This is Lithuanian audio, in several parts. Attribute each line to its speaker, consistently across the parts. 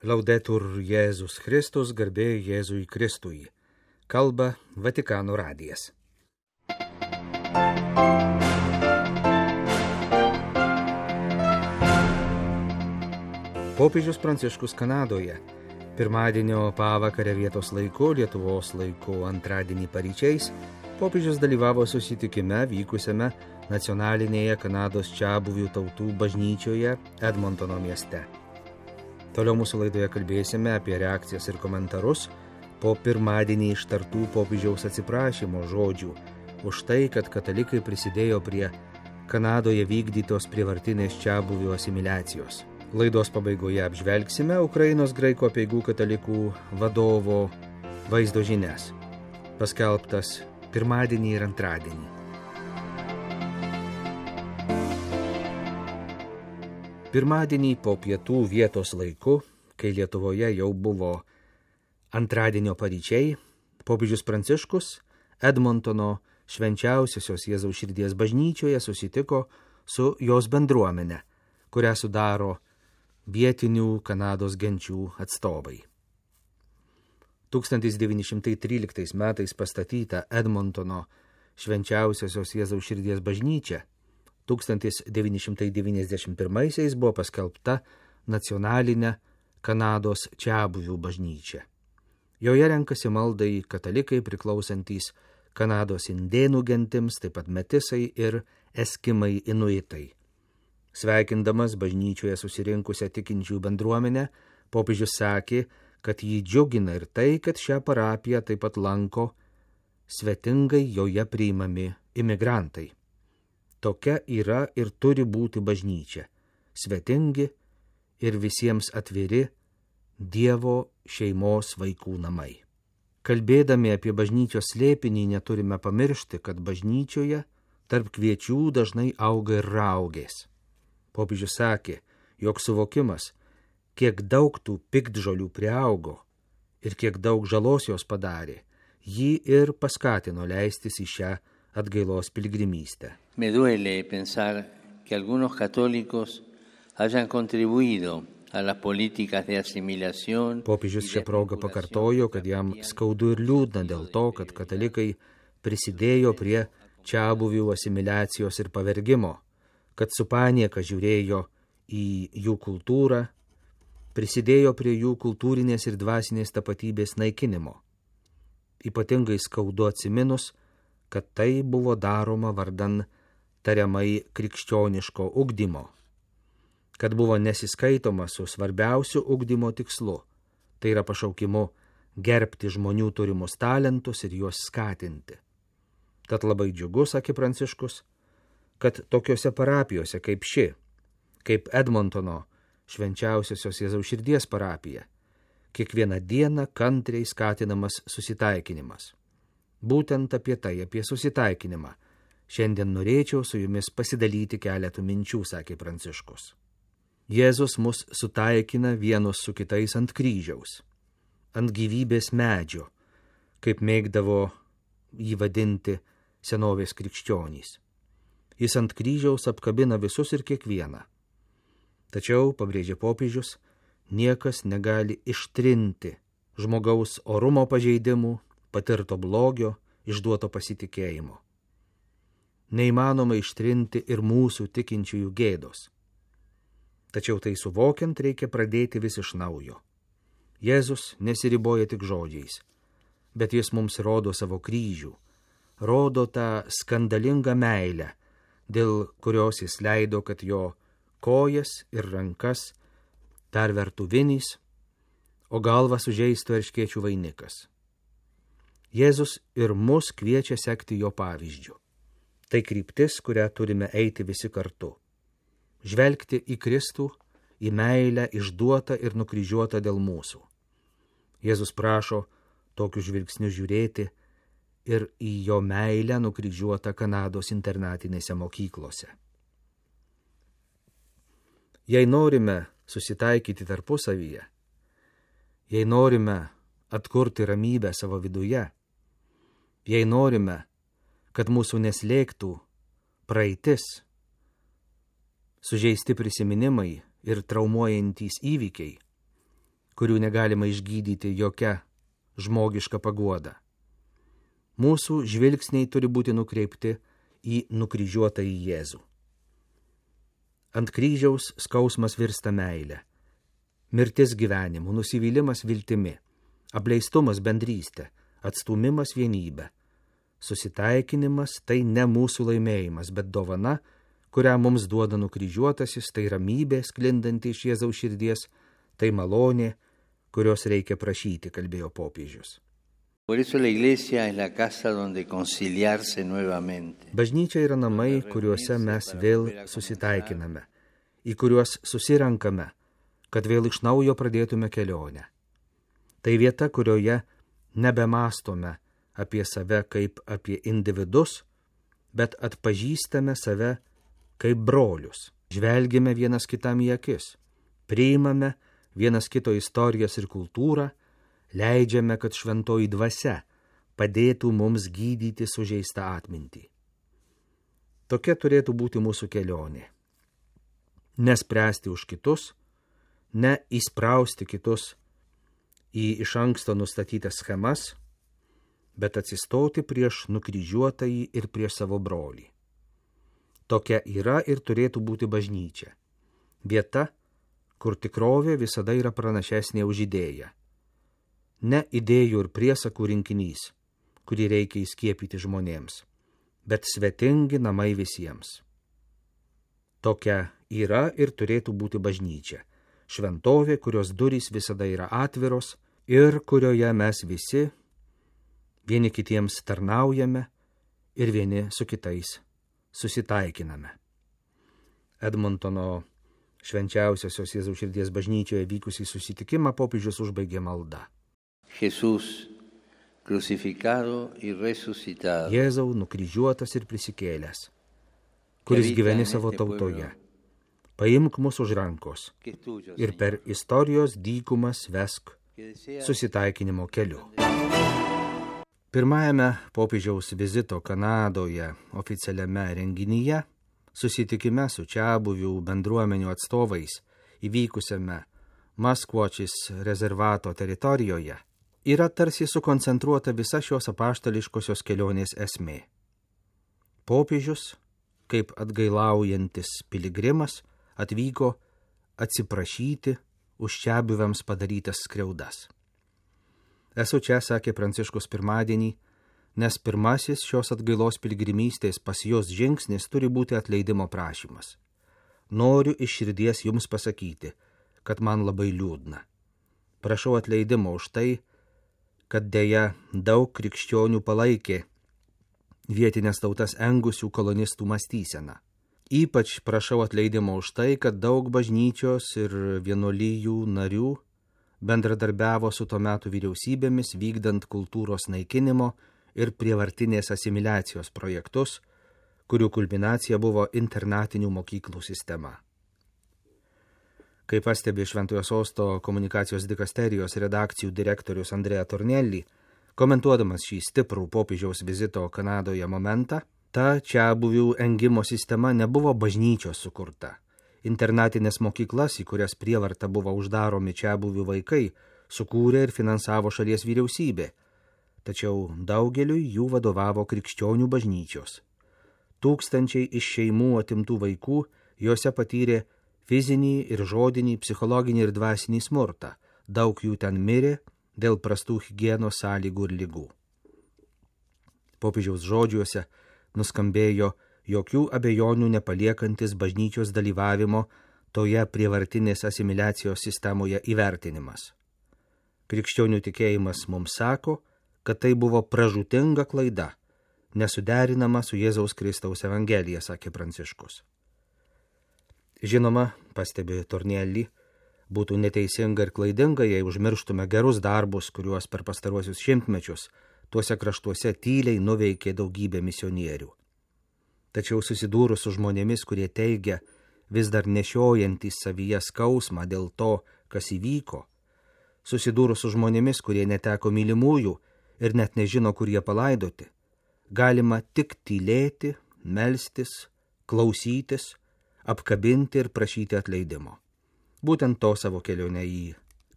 Speaker 1: Laudetur Jėzus Kristus, garbė Jėzui Kristui. Kalba Vatikano radijas. Popiežius Pranciškus Kanadoje. Pirmadienio pavakarę vietos laiku, Lietuvos laiku antradienį paryčiais, popiežius dalyvavo susitikime vykusiame nacionalinėje Kanados čiabuvių tautų bažnyčioje Edmontono mieste. Toliau mūsų laidoje kalbėsime apie reakcijas ir komentarus po pirmadienį ištartų popiežiaus atsiprašymo žodžių už tai, kad katalikai prisidėjo prie Kanadoje vykdytos prievartinės čiabuvių asimiliacijos. Laidos pabaigoje apžvelgsime Ukrainos graikų apeigų katalikų vadovo vaizdo žinias, paskelbtas pirmadienį ir antradienį. Pirmadienį po pietų vietos laiku, kai Lietuvoje jau buvo antradienio paryčiai, popiežius Pranciškus Edmontono švenčiausiosios Jėzaus širdies bažnyčioje susitiko su jos bendruomene, kurią sudaro vietinių Kanados genčių atstovai. 1913 metais pastatyta Edmontono švenčiausiosios Jėzaus širdies bažnyčia 1991 buvo paskelbta nacionalinė Kanados čiabuvių bažnyčia. Joje renkasi maldai katalikai priklausantys Kanados indėnų gentims, taip pat metisai ir eskimai inuitai. Sveikindamas bažnyčioje susirinkusią tikinčių bendruomenę, popiežius sakė, kad jį džiugina ir tai, kad šią parapiją taip pat lanko svetingai joje priimami imigrantai. Tokia yra ir turi būti bažnyčia, svetingi ir visiems atviri Dievo šeimos vaikų namai. Kalbėdami apie bažnyčios slėpinį neturime pamiršti, kad bažnyčioje tarp kviečių dažnai auga ir raugės. Popiežius sakė, jog suvokimas, kiek daug tų piktžolių priaugo ir kiek daug žalos jos padarė, jį ir paskatino leistis į šią atgailos piligrimystę.
Speaker 2: Me duele pensar que algunos católicos hayan contribuido a las políticas de asimilación.
Speaker 1: Popiežius šią progą pakartojo, kad jam skaudu ir liūdna dėl to, kad katalikai prisidėjo prie čiabuvių asimiliacijos ir pavergimo, kad su panieka žiūrėjo į jų kultūrą, prisidėjo prie jų kultūrinės ir dvasinės tapatybės naikinimo. Ypatingai skaudu atsiminus, kad tai buvo daroma vardan tariamai krikščioniško ugdymo, kad buvo nesiskaitoma su svarbiausiu ugdymo tikslu, tai yra pašaukimu gerbti žmonių turimus talentus ir juos skatinti. Tad labai džiugu, sakė Pranciškus, kad tokiose parapijose kaip ši, kaip Edmontono švenčiausiosios Jėzaus širdies parapija, kiekvieną dieną kantriai skatinamas susitaikinimas. Būtent apie tai, apie susitaikinimą, šiandien norėčiau su jumis pasidalyti keletų minčių, sakė Pranciškus. Jėzus mus sutaikina vienus su kitais ant kryžiaus, ant gyvybės medžio, kaip mėgdavo jį vadinti senovės krikščionys. Jis ant kryžiaus apkabina visus ir kiekvieną. Tačiau, pabrėžė popiežius, niekas negali ištrinti žmogaus orumo pažeidimų, patirto blogio, išduoto pasitikėjimo. Neįmanoma ištrinti ir mūsų tikinčiųjų gėdos. Tačiau tai suvokiant reikia pradėti vis iš naujo. Jėzus nesiriboja tik žodžiais, bet jis mums rodo savo kryžių, rodo tą skandalingą meilę, dėl kurios jis leido, kad jo kojas ir rankas pervertų vinys, o galvą sužeistų erškėčių vainikas. Jėzus ir mus kviečia sekti jo pavyzdžiu. Tai kryptis, kurią turime eiti visi kartu. Žvelgti į Kristų, į meilę išduotą ir nukryžiuotą dėl mūsų. Jėzus prašo tokiu žvilgsniu žiūrėti ir į jo meilę nukryžiuotą Kanados internatinėse mokyklose. Jei norime susitaikyti tarpusavyje, jei norime atkurti ramybę savo viduje, jei norime, kad mūsų neslėgtų praeitis, sužeisti prisiminimai ir traumuojantys įvykiai, kurių negalima išgydyti jokia žmogiška paguoda. Mūsų žvilgsniai turi būti nukreipti į nukryžiuotąjį Jėzų. Ant kryžiaus skausmas virsta meile, mirtis gyvenimu, nusivylimas viltimi, apleistumas bendrystė, atstūmimas vienybė. Susitaikinimas tai ne mūsų laimėjimas, bet dovana, kurią mums duoda nukryžiuotasis, tai ramybė sklindanti iš Jėzaus širdies, tai malonė, kurios reikia prašyti, kalbėjo popiežius. Bažnyčia yra namai, kuriuose mes vėl susitaikiname, į kuriuos susirenkame, kad vėl iš naujo pradėtume kelionę. Tai vieta, kurioje nebemastome apie save kaip apie individus, bet atpažįstame save kaip brolius. Žvelgime vienas kitam į akis, priimame vienas kito istorijas ir kultūrą, leidžiame, kad šventoji dvasia padėtų mums gydyti sužeistą atmintį. Tokia turėtų būti mūsų kelionė. Nespręsti už kitus, ne įsprausti kitus į iš anksto nustatytas schemas, bet atsistoti prieš nukryžiuotąjį ir prieš savo brolį. Tokia yra ir turėtų būti bažnyčia. Vieta, kur tikrovė visada yra pranašesnė už idėją. Ne idėjų ir priesakų rinkinys, kurį reikia įskiepyti žmonėms, bet svetingi namai visiems. Tokia yra ir turėtų būti bažnyčia. Šventovė, kurios durys visada yra atviros ir kurioje mes visi vieni kitiems tarnaujame ir vieni su kitais susitaikiname. Edmontono švenčiausiosios Jėzaus širdies bažnyčioje vykusį susitikimą popiežius užbaigė malda.
Speaker 2: Jesús, crucificado y resucitado.
Speaker 1: Jėzau, nukryžiuotas ir prisikėlęs, kuris gyveni savo tautoje. Paimk mus už rankos ir per istorijos dykumas vesk susitaikinimo keliu. Pirmajame popiežiaus vizito Kanadoje oficialiame renginyje, susitikime su čiabuvių bendruomenių atstovais įvykusiame Maskvočis rezervato teritorijoje, yra tarsi sukoncentruota visa šios apaštališkosios kelionės esmė. Popiežius, kaip atgailaujantis piligrimas, atvyko atsiprašyti už čiabuviams padarytas skriaudas. Esu čia, sakė Pranciškus pirmadienį, nes pirmasis šios atgailos piligrimystės pas jos žingsnis turi būti atleidimo prašymas. Noriu iš širdies jums pasakyti, kad man labai liūdna. Prašau atleidimo už tai, kad deja daug krikščionių palaikė vietinės tautas engusių kolonistų mąstyseną. Ypač prašau atleidimo už tai, kad daug bažnyčios ir vienuolijų narių bendradarbiavo su to metų vyriausybėmis vykdant kultūros naikinimo ir prievartinės asimiliacijos projektus, kurių kulminacija buvo internatinių mokyklų sistema. Kaip pastebi Šventojo Sosto komunikacijos dikasterijos redakcijų direktorius Andrea Tornelli, komentuodamas šį stiprų popiežiaus vizito Kanadoje momentą, ta čiabuvių engimo sistema nebuvo bažnyčios sukurta. Internatinės mokyklas, į kurias prievarta buvo uždaromi čiabuvių vaikai, sukūrė ir finansavo šalies vyriausybė, tačiau daugeliui jų vadovavo krikščionių bažnyčios. Tūkstančiai iš šeimų atimtų vaikų juose patyrė fizinį ir žodinį, psichologinį ir dvasinį smurtą. Daug jų ten mirė dėl prastų higienos sąlygų ir ligų. Popiežiaus žodžiuose nuskambėjo jokių abejonių nepaliekantis bažnyčios dalyvavimo toje prievartinės asimiliacijos sistemoje įvertinimas. Krikščionių tikėjimas mums sako, kad tai buvo pražūtinga klaida, nesuderinama su Jėzaus Kristaus Evangelija, sakė Pranciškus. Žinoma, pastebi Tornelli, būtų neteisinga ir klaidinga, jei užmirštume gerus darbus, kuriuos per pastaruosius šimtmečius tuose kraštuose tyliai nuveikė daugybė misionierių. Tačiau susidūrus su žmonėmis, kurie teigia vis dar nešiojantys savyje skausmą dėl to, kas įvyko, susidūrus su žmonėmis, kurie neteko mylimųjų ir net nežino, kur jie palaidoti, galima tik tylėti, melstis, klausytis, apkabinti ir prašyti atleidimo. Būtent to savo kelionę į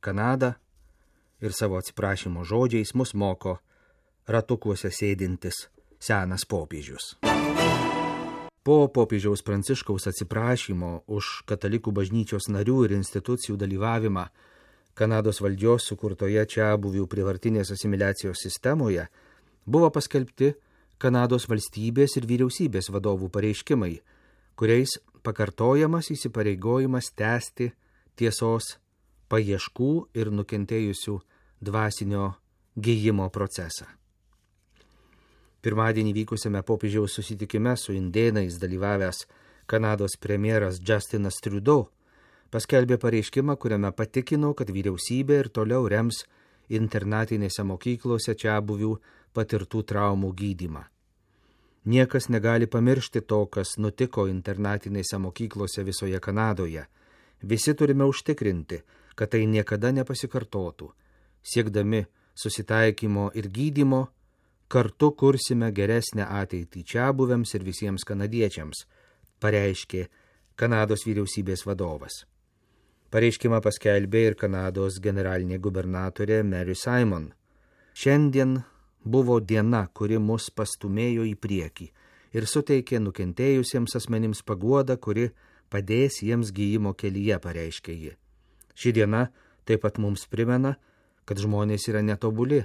Speaker 1: Kanadą ir savo atsiprašymo žodžiais mus moko ratukuose sėdintis senas popiežius. Po popiežiaus Pranciškaus atsiprašymo už katalikų bažnyčios narių ir institucijų dalyvavimą Kanados valdžios sukurtoje čiabuvių prievartinės asimiliacijos sistemoje buvo paskelbti Kanados valstybės ir vyriausybės vadovų pareiškimai, kuriais pakartojamas įsipareigojimas tęsti tiesos paieškų ir nukentėjusių dvasinio gijimo procesą. Pirmadienį vykusiame popiežiaus susitikime su indėnais dalyvavęs Kanados premjeras Justinas Trudeau paskelbė pareiškimą, kuriame patikino, kad vyriausybė ir toliau rems internatinėse mokyklose čiabuvių patirtų traumų gydymą. Niekas negali pamiršti to, kas nutiko internatinėse mokyklose visoje Kanadoje. Visi turime užtikrinti, kad tai niekada nepasikartotų. Siekdami susitaikymo ir gydymo, kartu kursime geresnę ateitį čiabuviams ir visiems kanadiečiams, pareiškė Kanados vyriausybės vadovas. Pareiškimą paskelbė ir Kanados generalinė gubernatorė Mary Simon. Šiandien buvo diena, kuri mus pastumėjo į priekį ir suteikė nukentėjusiems asmenims paguodą, kuri padės jiems gijimo kelyje, pareiškė ji. Ši diena taip pat mums primena, kad žmonės yra netobuli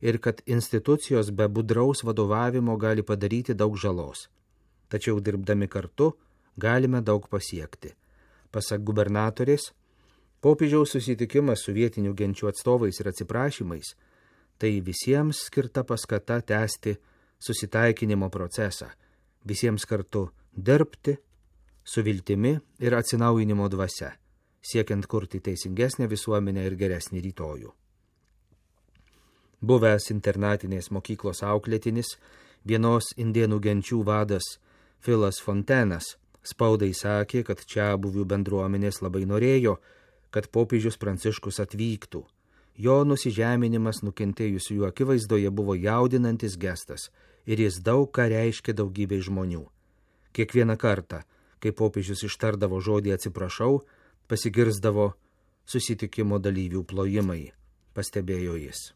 Speaker 1: ir kad institucijos be budraus vadovavimo gali padaryti daug žalos. Tačiau dirbdami kartu galime daug pasiekti. Pasak gubernatorės, popiežiaus susitikimas su vietinių genčių atstovais ir atsiprašymais tai visiems skirta paskata tęsti susitaikinimo procesą, visiems kartu dirbti su viltimi ir atsinaujinimo dvasia, siekiant kurti teisingesnę visuomenę ir geresnį rytojų. Buvęs internatinės mokyklos auklėtinis, vienos indėnų genčių vadas Filas Fontenas spaudai sakė, kad čiabuvių bendruomenės labai norėjo, kad popiežius Pranciškus atvyktų. Jo nusižeminimas nukentėjusiųjų akivaizdoje buvo jaudinantis gestas ir jis daug ką reiškė daugybei žmonių. Kiekvieną kartą, kai popiežius ištardavo žodį atsiprašau, pasigirzdavo susitikimo dalyvių plojimai, pastebėjo jis.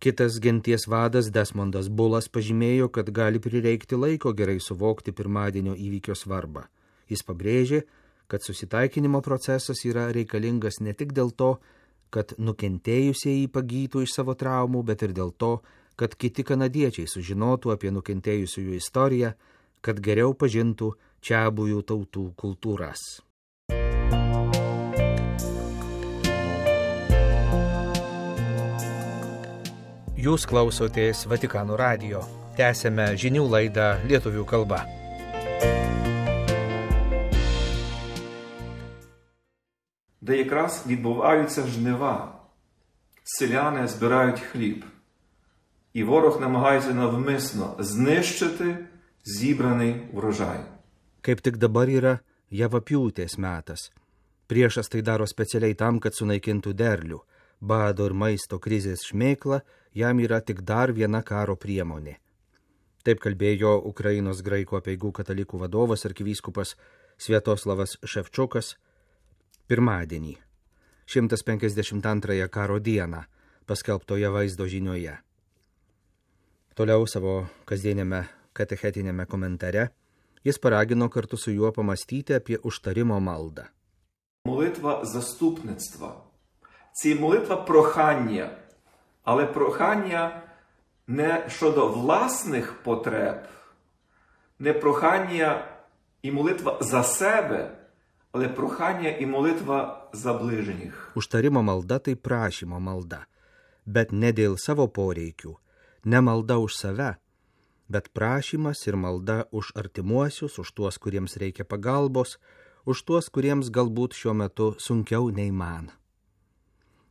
Speaker 1: Kitas genties vadas Desmondas Bulas pažymėjo, kad gali prireikti laiko gerai suvokti pirmadienio įvykio svarbą. Jis pabrėžė, kad susitaikinimo procesas yra reikalingas ne tik dėl to, kad nukentėjusieji pagytų iš savo traumų, bet ir dėl to, kad kiti kanadiečiai sužinotų apie nukentėjusiųjų istoriją, kad geriau pažintų čiabuvių tautų kultūras. Jūs klausotės Vatikano radijo. Tęsėme žinių laidą lietuvių kalba.
Speaker 3: Де якраз відбуваються жнива. Селяни збирають хліб. І ворог намагається навмисно знищити зібраний врожай.
Speaker 1: Kaip tik dabar yra javapjūtės metas. Priešas tai daro specialiai tam, kad sunaikintų derlių. Bado ir maisto krizės šmėkla jam yra tik dar viena karo priemonė. Taip kalbėjo Ukrainos graikų apeigų katalikų vadovas arkivyskupas Sviatoslavas Ševčukas pirmadienį, 152 karo dieną, paskelbtoje vaizdo žinioje. Toliau savo kasdienėme katechetinėme komentare jis paragino kartu su juo pamastyti apie užtarimo maldą.
Speaker 3: Молитва заступництва. Це молитва прохання, але прохання не щодо власних потреб, не прохання і молитва за себе, але прохання і молитва за ближніх.
Speaker 1: Užtarimo malda tai prašymo malda, bet ne dėl savo poreikių, ne malda už save, bet prašymas ir malda už artimuosius, už tuos, kuriems reikia pagalbos, už tuos, kuriems galbūt šiuo metu sunkiau nei man.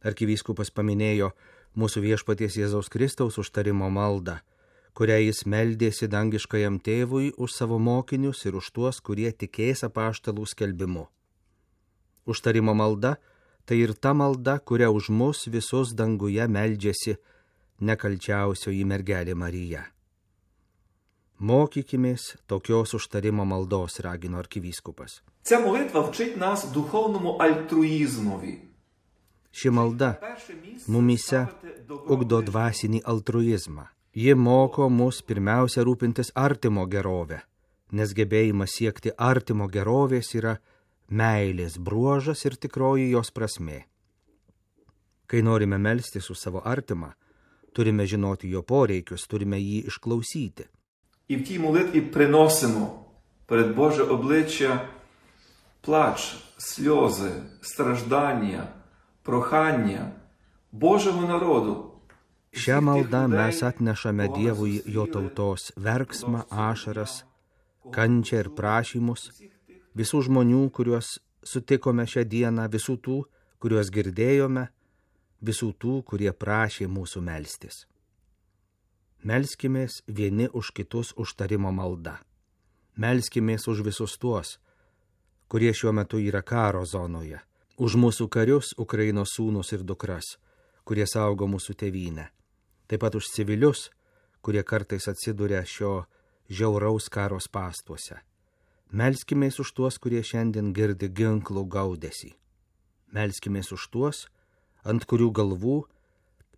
Speaker 1: Arkivyskupas paminėjo mūsų viešpaties Jėzaus Kristaus užtarimo maldą, kurią jis meldėsi dangiškajam tėvui už savo mokinius ir už tuos, kurie tikės apaštalų skelbimu. Užtarimo malda tai ir ta malda, kuria už mus visus danguje meldžiasi nekalčiausioji mergelė Marija. Mokykimės tokios užtarimo maldos, ragino arkivyskupas.
Speaker 3: Ця молитва вчить нас духовному альтруїзмові.
Speaker 1: Ši malda mumise ugdo dvasinį altruizmą. Ji moko mus pirmiausia rūpintis artimo gerovę, nes gebėjimas siekti artimo gerovės yra meilės bruožas ir tikroji jos prasmė. Kai norime melstis už savo artimą, turime žinoti jo poreikius, turime jį išklausyti.
Speaker 3: І в тій молитві приносимо перед Боже обличчя плач, сльози, страждання, прохання Божого народу.
Speaker 1: Šią maldą mes atnešame Dievui jo tautos verksmą, ašaras, kančią ir prašymus, visų žmonių, kuriuos sutikome šią dieną, visų tų, kuriuos girdėjome, visų tų, kurie prašė mūsų melstis. Melskimės vieni už kitus užtarimo malda. Melskimės už visus tuos, kurie šiuo metu yra karo zonoje, už mūsų karius, Ukrainos sūnus ir dukras, kurie saugo mūsų tėvynę, taip pat už civilius, kurie kartais atsiduria šio žiauraus karo spąstuose. Melskimės už tuos, kurie šiandien girdi ginklų gaudesį. Melskimės už tuos, ant kurių galvų,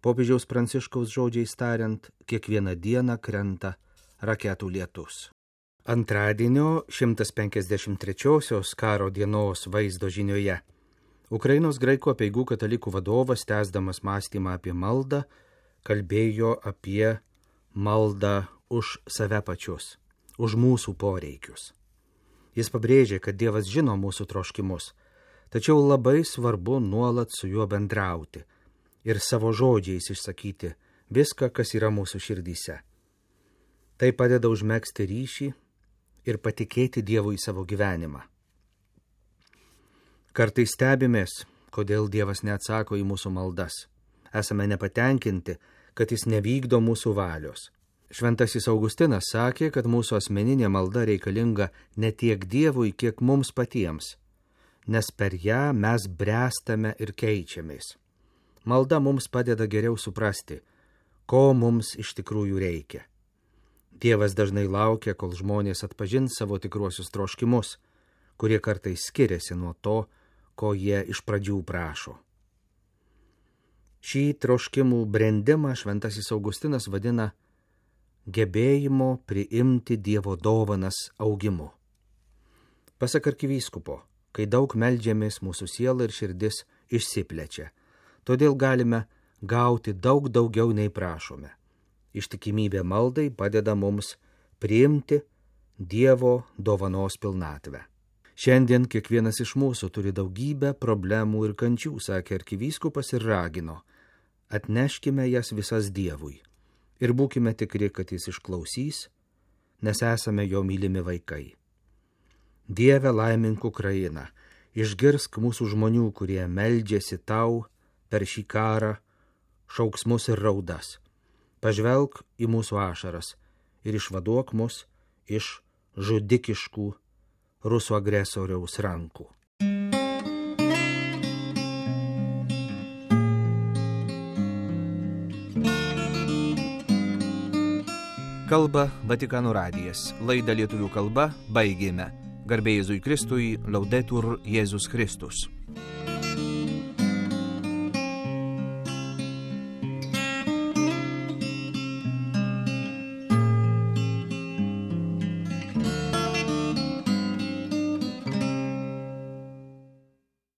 Speaker 1: popiežiaus Pranciškaus žodžiais tariant, kiekvieną dieną krenta raketų lietus. Antradienio 153-osios karo dienos vaizdo žinioje Ukrainos graikų apeigų katalikų vadovas, tęsdamas mąstymą apie maldą, kalbėjo apie maldą už save pačius, už mūsų poreikius. Jis pabrėžė, kad Dievas žino mūsų troškimus, tačiau labai svarbu nuolat su juo bendrauti ir savo žodžiais išsakyti viską, kas yra mūsų širdyse. Tai padeda užmegzti ryšį ir patikėti Dievui savo gyvenimą. Kartais stebimės, kodėl Dievas neatsako į mūsų maldas. Esame nepatenkinti, kad jis nevykdo mūsų valios. Šventasis Augustinas sakė, kad mūsų asmeninė malda reikalinga ne tiek Dievui, kiek mums patiems, nes per ją mes bręstame ir keičiamės. Malda mums padeda geriau suprasti, ko mums iš tikrųjų reikia. Dievas dažnai laukia, kol žmonės atpažins savo tikruosius troškimus, kurie kartais skiriasi nuo to, ko jie iš pradžių prašo. Šį troškimų brendimą šventasis Augustinas vadina gebėjimo priimti Dievo dovanas augimu. Pasak arkivyskupo, kai daug meldžiamės, mūsų siela ir širdis išsiplečia. Todėl galime gauti daug daugiau nei prašome. Ištikimybė maldai padeda mums priimti Dievo dovanos pilnatvę. Šiandien kiekvienas iš mūsų turi daugybę problemų ir kančių, sakė arkivyskupas ir ragino. Atneškime jas visas Dievui ir būkime tikri, kad jis išklausys, nes esame jo mylimi vaikai. Dieve, laimink Ukrainą, išgirsk mūsų žmonių, kurie meldžiasi tau per šį karą, šauksmus ir raudas. Pažvelk į mūsų ašaras ir išvaduok mus iš žudikiškų rusų agresoriaus rankų. Kalba Vatikano radijas. Laidą lietuvių kalba baigėme. Garbė Jėzui Kristui, Laudetur Jėzus Kristus.